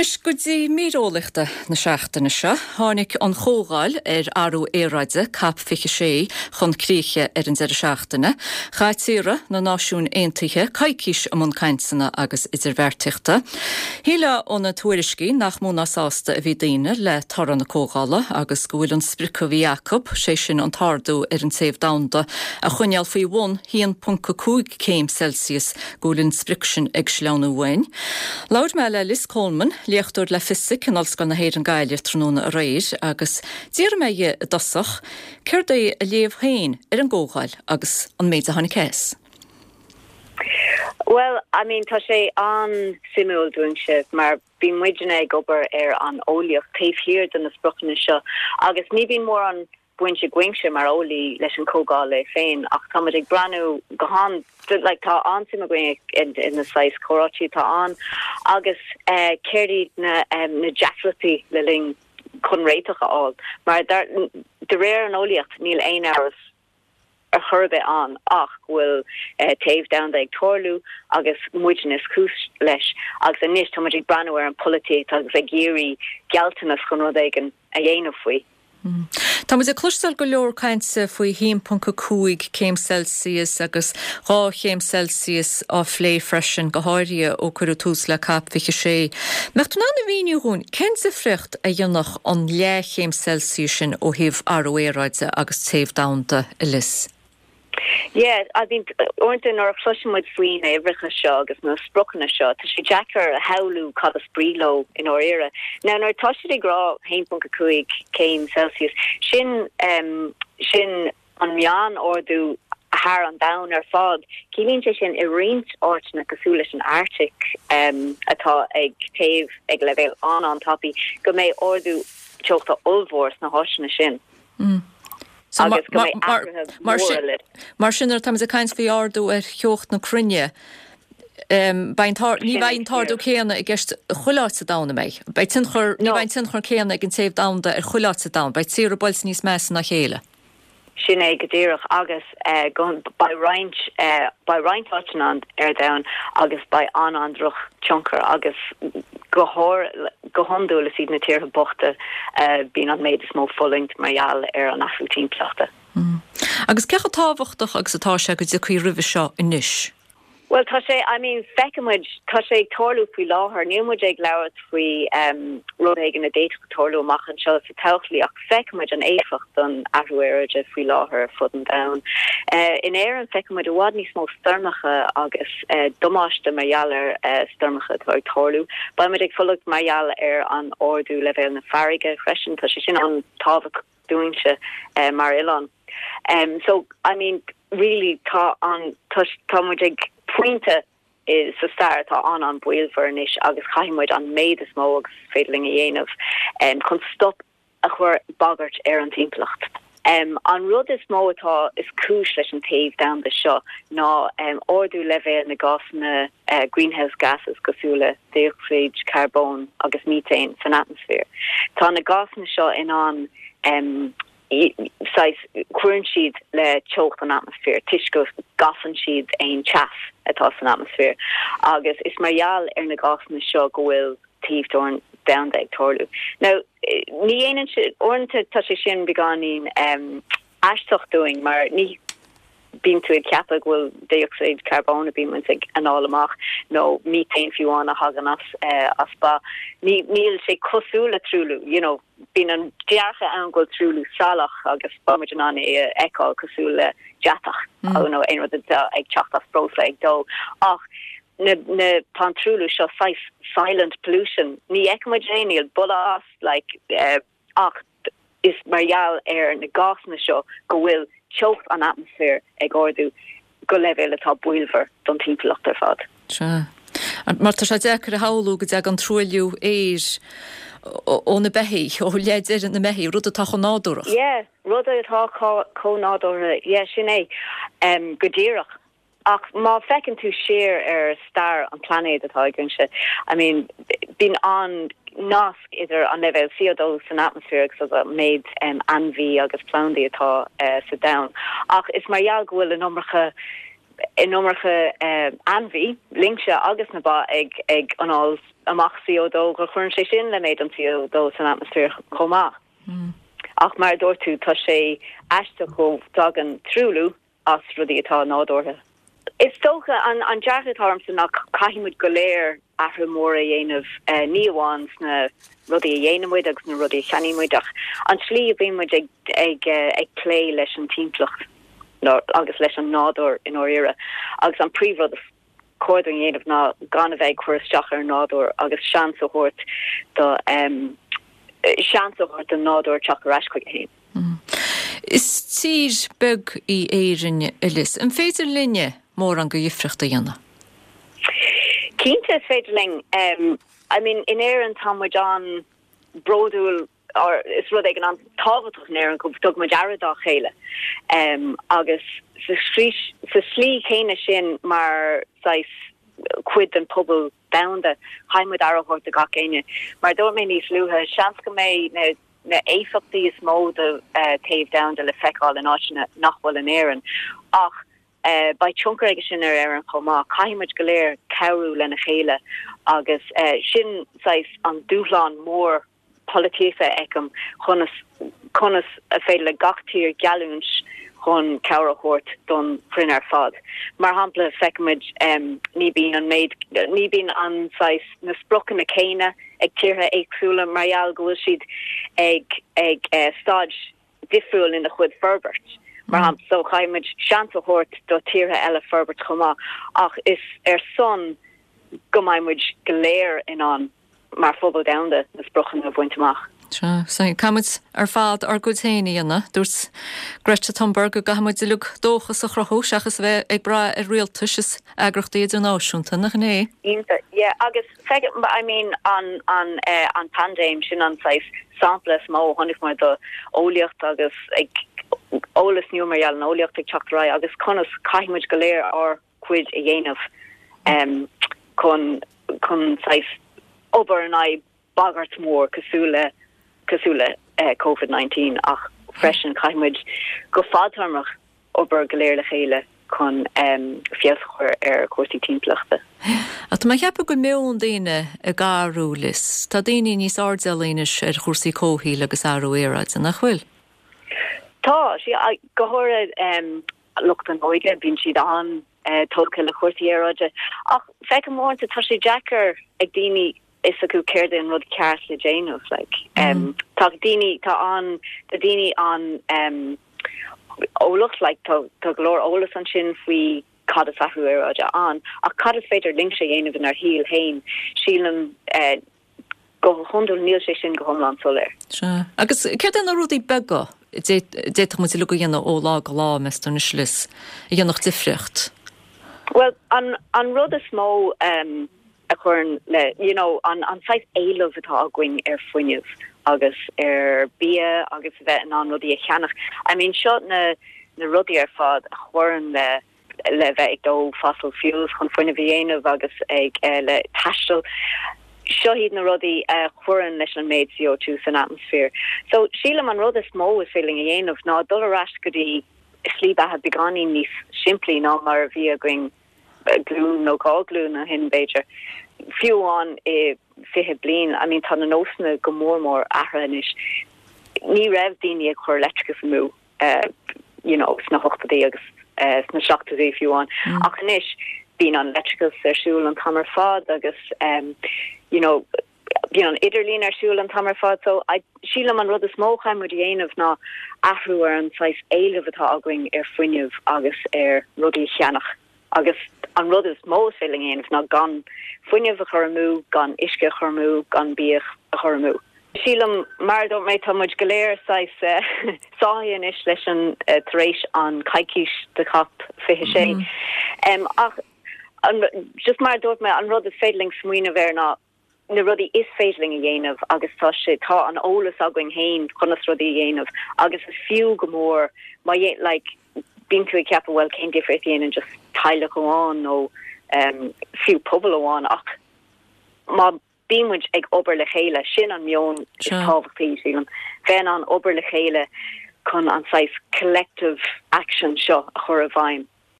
Anois go dtí mír eolaíochta na seachtaine seo. Tháinig an chomhdháil ar athrú aeráide, Cop 26, chun críche ar an deireadh seachtaine. Chaith tíortha na Náisiún Aontaithe coicís i mbun cainteanna agus idirbheartaíochta. Shílfeá ó na tuairiscí nach mó ná sásta a bhí daoine le toradh na comhdhála agus go bhfuil an sprioc a bhí acu, sé sin an t-ardú ar an téamh domhanda a choinneáil faoi bhun 1.5 céim Celsius, go bhfuil an sprioc sin ag sleamhnú uainn. Labhair mé le Liz Coleman, léachtóir le Fisic in Ollscoil na hÉireann Gaillimh tráthnóna aréir agus d'fhiafraigh mé dhi i dtosach céard é a léamh féin ar an gcomhdháil agus an méid a tháinig as. Bhuel, I mean, tá sé an-suimiúil dúinnse mar bíonn muidne ag obair ar an eolaíocht taobh thiar de na spriocanna seo agus ní bhíonn mórán baint agaibhse mar eolaí leis an comhdháil é féin ach tá muid ag breathnú go han like tá an-suim againn in na saghas comhráití atá ann agus céard iad na na deacrachtaí le linn chun réiteach a fháil mar dar de réir an eolaíocht níl aon amhras ar chor ar bith ann ach go bhfuil téamh domhanda ag tarlú agus muidne is cúis leis agus anois tá muid ag breathnú ar an polaitíocht agus ag iarraidh gealltanas chun rud éigin a dhéanamh faoi. Tá muid ag cloisteáil go leor cainte faoi 1.5 céim Celsius agus 2 chéim Celsius á phlé freisin, go háirithe ó cuireadh tús le Cop 26. Mbeadh tú in ann a mhíniú dhúinn cén difríocht a dhéanfadh an leathchéim Celsius sin ó thaobh athrú aeráide agus téamh domhanda, a Liz? Yeah, I mean, uaireanta nuair a chloiseann muid faoi na uimhreacha seo agus na spriocanna seo, tá sé deacair a shamhlú cad is brí leo i ndáiríre. Now, nuair atá siad ag rá 1.5 céim Celsius, sin, um, sin an meán-ardú thar an domhan ar fad. Ciallaíonn sé sin i roinnt áiteanna cosúil leis an Arctic, um, atá ag téamh ag leibhéal an-an-tapaidh, go mbeidh ardú teochta ollmhór sna háiteanna sin. Agus go mbeidh athruithe móra le. Mar sin, nuair atáimid ag caint faoi ardú ar theocht na cruinne, beidh an ní bheidh an t-ardú céanna i gceist chuile áit sa domhan, an mbeidh? Beidh tionchar, ní bheidh an tionchar céanna ag an téamh domhanda ar chuile áit sa domhan. Beidh tíortha buailte níos measa ná a chéile. Sin é go díreach agus go beidh roinnt, beidh roinnt áiteanna ar domhan agus beidh an-an-droch tionchar agus go go hiondúil is iad na tíortha bochta a bíonn an méid is mó fulaingt mar gheall ar an athrú timpeallachta. Agus cé chomh tábhachtach agus atá sé go dtiocfaí roimhe seo anois? Bhuel, tá sé, I mean, feiceann muid, tá sé ag tarlú faoi láthair, níl muid ag labhairt faoi rud éigin a d'fhéadfadh tarlú amach anseo sa todhchaí ach feiceann muid an éifeacht don athrú aeráide faoi láthair ar fud an domhain. In Éirinn feiceann muid i bhfad níos mó stoirmeacha agus damáiste mar gheall ar stoirmeacha atá ag tarlú. Beidh muid ag fulaingt mar gheall ar an ardú leibhéal na farraige freisin, tá sé sin an-tábhachtach dúinnse mar oileán. So, I mean, really tá an, tá, tá muid ag pointe sa stair atá an-an-bhaolmhar anois agus caithfidh muid an méid is mó agus is féidir linn a dhéanamh chun stop a chur bagairt ar an timpeallacht. An rud is mó atá is cúis leis an téamh domhanda seo ná ardú leibhéal na gásanna greenhouse gases cosúil le dé-ocsaíd carbóin agus míthéin san atmaisféar. Tá na gásanna seo in ann saghas, cuireann siad le teocht an atmaisféir toisc go gcasann siad aon teas atá san atmaisféar agus is mar gheall ar na gásanna seo go bhfuil téamh domhanda ag tarlú. Now, ní dhéanann sé, uaireanta tá sé sin beagáinín aisteach dúinn mar ní bíonn tú ag ceapadh go bhfuil dé-ocsaíd carbóin a bíonn muid ag anáil amach nó míthéin fiú amháin a thagann as as ba. Ní níl sé cosúil le truailliú, you know, bíonn an dearcadh ann go bhfuil truailliú salach agus beidh muid in ann é a fheiceáil cosúil le deatach nó aon rud atá ag teacht as breosla ag dó. Ach na na tá an truailliú seo saghas silent pollution, ní fheiceann muid é, níl boladh as, like, Ach is mar gheall ar na gásanna seo go bhfuil teocht an atmaisféir ag ardú go leibhéal atá baolmhar don timpeallacht ar fad. Sea. Mar tá sé deacair a shamhlú go dtagann truailliú aeir ó na beithígh, ó leath deiridh na mbeithígh, rud atá chomh nádúrach. Yeah, rud atá chomh nádúrtha, yeah, sin é. Go díreach. Ach má feiceann tú siar ar stair an phlainéid atá againne, I mean, bíonn an nasc idir an leibhéal CO2 san atmaisféar agus an méid ainmhí agus plandaí atá sa domhan. Ach is mar gheall go bhfuil an iomarca an iomarca ainmhí, lincse agus na ba ag ag anáil. amach CO2 go chuireann sé sin le méid an CO2 san atmaisféar chomh maith. Ach mar a dúirt tú, tá sé aisteach go dtagann truailliú as rudaí atá nádúrtha. Is dócha, an dearcadh atá ormsa ná caithfidh muid go léir athrú mór a dhéanamh, ní amháin sna rudaí a dhéanann muid agus na rudaí a cheannaíonn muid ach an tslí a bíonn muid ag ag plé leis an timpeallacht agus leis an nádúr i ndáiríre. Agus an príomhrud is cóir dúinn a dhéanamh ná gan a bheith ag cur isteach ar an nádúr agus seans a thabhairt do seans a thabhairt don nádúr teacht ar ais chuige féin. Is tír beag í Éirinn, a Liz. An féidir linne mórán de dhifriocht a dhéanamh? Cinnte is féidir linn. I mean, in Éirinn tá muid an-bhródúil or is rud éigin an-tábhachtach in Éirinn go dtugann muid aire dá chéile agus sa slí chéanna sin mar saghas cuid den pobal domhanda, caithfidh muid aire a thabhairt do gach éinne. Mar a dúirt mé níos luaithe, seans go mbeidh na na éifeachtaí is mó de téamh domhanda le feiceáil in áiteanna nach bhfuil in Éirinn ach beidh tionchar aige sin ar Éirinn chomh maith. Caithfidh muid go léir cabhrú lena chéile agus sin saghas an dúshlán mór polaitíochta a fheicim, conas conas a féidir le gach tír geallúint chun cabhair a thabhairt don chruinne ar fad. Mar shampla, feicimid ní bíonn an méid, ní bíonn an saghas, na spriocanna céanna ag tíortha éagsúla mar gheall go bhfuil siad ag ag staid difriúil ina chuid forbairt. Mar shampla, so caithfidh muid seans a thabhairt do tíortha eile forbairt chomh maith ach is ar son go mbeidh muid go léir in ann mar phobal domhanda na spriocanna a bhaint amach. Sea, so caithfidh muid ar fad ár gcuid féin a dhéanamh. Dúirt Greta Thunberg go gcaithfidh muid uilig dóchas a chruthú seachas a bheith ag brath ar rialtais is eagrachtaí idirnáisiúnta, nach in é? Cinnte, yeah, agus feicim, I mean, an, an, eh, an paindéim, sin an saghas sampla is mó a chonaic muid do eolaíocht agus ag eolas nua mar gheall an eolaíocht ag teacht ar aghaidh agus conas caithfidh muid go léir ár gcuid a dhéanamh em, chun, chun saghas obair in aghaidh bagairt mhór cosúil le, cosúil le eh, Covid-19 ach freisin caithfidh muid go fadtéarmach obair go léir le chéile chun feabhas a chur ar chúrsaí timpeallachta. Ach tá mé ag ceapadh go bhfuil meon daoine ag athrú, Liz. Tá daoine níos airdeallaí anois ar chúrsaí comhshaoil agus athrú aeráide, nach bhfuil? Tá, sea, go háirithe lucht an óige, bíonn siad an-tógtha le cúrsaí aeráide. Ach feicim uaireanta tá sé deacair ag daoine fhios acu céard é an rud ceart le déanamh like tá daoine tá an tá daoine an um, eolach like tá tá go leor eolas ansin faoi cad is athrú aeráide ann ach cad is féidir linnse a dhéanamh inár shaol féin sílim uh, go hiondúil níl sé sin go hiomlán soiléir. Sea. Agus céard é na rudaí beaga a d'fhéadfadh muid uilig a dhéanamh ó lá go lá, meas tú anois Liz, a dhéanfadh difríocht? Well, an, an rud is mó um, a chuireann le, you know, an, an saghas éileamh atá againn ar fuinneamh agus ar bia agus a bheith in ann rudaí a cheannach. I mean, seo na, na rudaí ar fad a chuireann le, le bheith ag dó fossil fuels chun fuinneamh a dhéanamh agus ag, eh, le taisteal. Seo iad na rudaí a chuireann leis an méid CO2 san atmaisféar. So, sílim an rud is mó is féidir linn a dhéanamh ná dul ar ais go dtí slí beatha beagáinín níos simplí ná mar a bhí againn glúin nó 2 ghlúin ó shin, b'fhéidir. Fiú amháin i 20 bliain, I mean tá na nósanna go mór mór athraithe anois. Ní raibh daoine ag cur leictreachas amú you know sna hochtóidí agus sna seachtóidí fiú amháin. Ach anois bíonn an leictreachas ar siúl an t-am ar fad agus you know bíonn an idirlíon ar siúl an t-am ar fad so I sílim an rud is mó a chaithfidh muid a dhéanamh ná athrú ar an saghas éileamh atá againn ar fuinneamh agus ar rudaí a cheannach agus an rud is mó is féidir linn a dhéanamh ná gan fuinneamh a chur amú, gan uisce a chur amú, gan bia a chur amú. Sílim, mar a dúirt mé, tá muid go léir saghas sáithe anois leis an tar éis an coicís de COP 26 ach an, just mar a dúirt mé, an rud is féidir linn smaoineamh air ná na rudaí is féidir linn a dhéanamh agus tá sé, tá an eolas againn féin conas rudaí a dhéanamh agus is fiú go mór má dhé, like, bíonn tú ag ceapadh bhuel cén difríocht a dhéanann just teaghlach amháin nó um, fiú pobal amháin ach má bíonn muid ag obair le chéile, sin an meon is tábhachtaí, sílim, bheith in ann obair le chéile chun an saghas collective action seo a chur i bhfeidhm.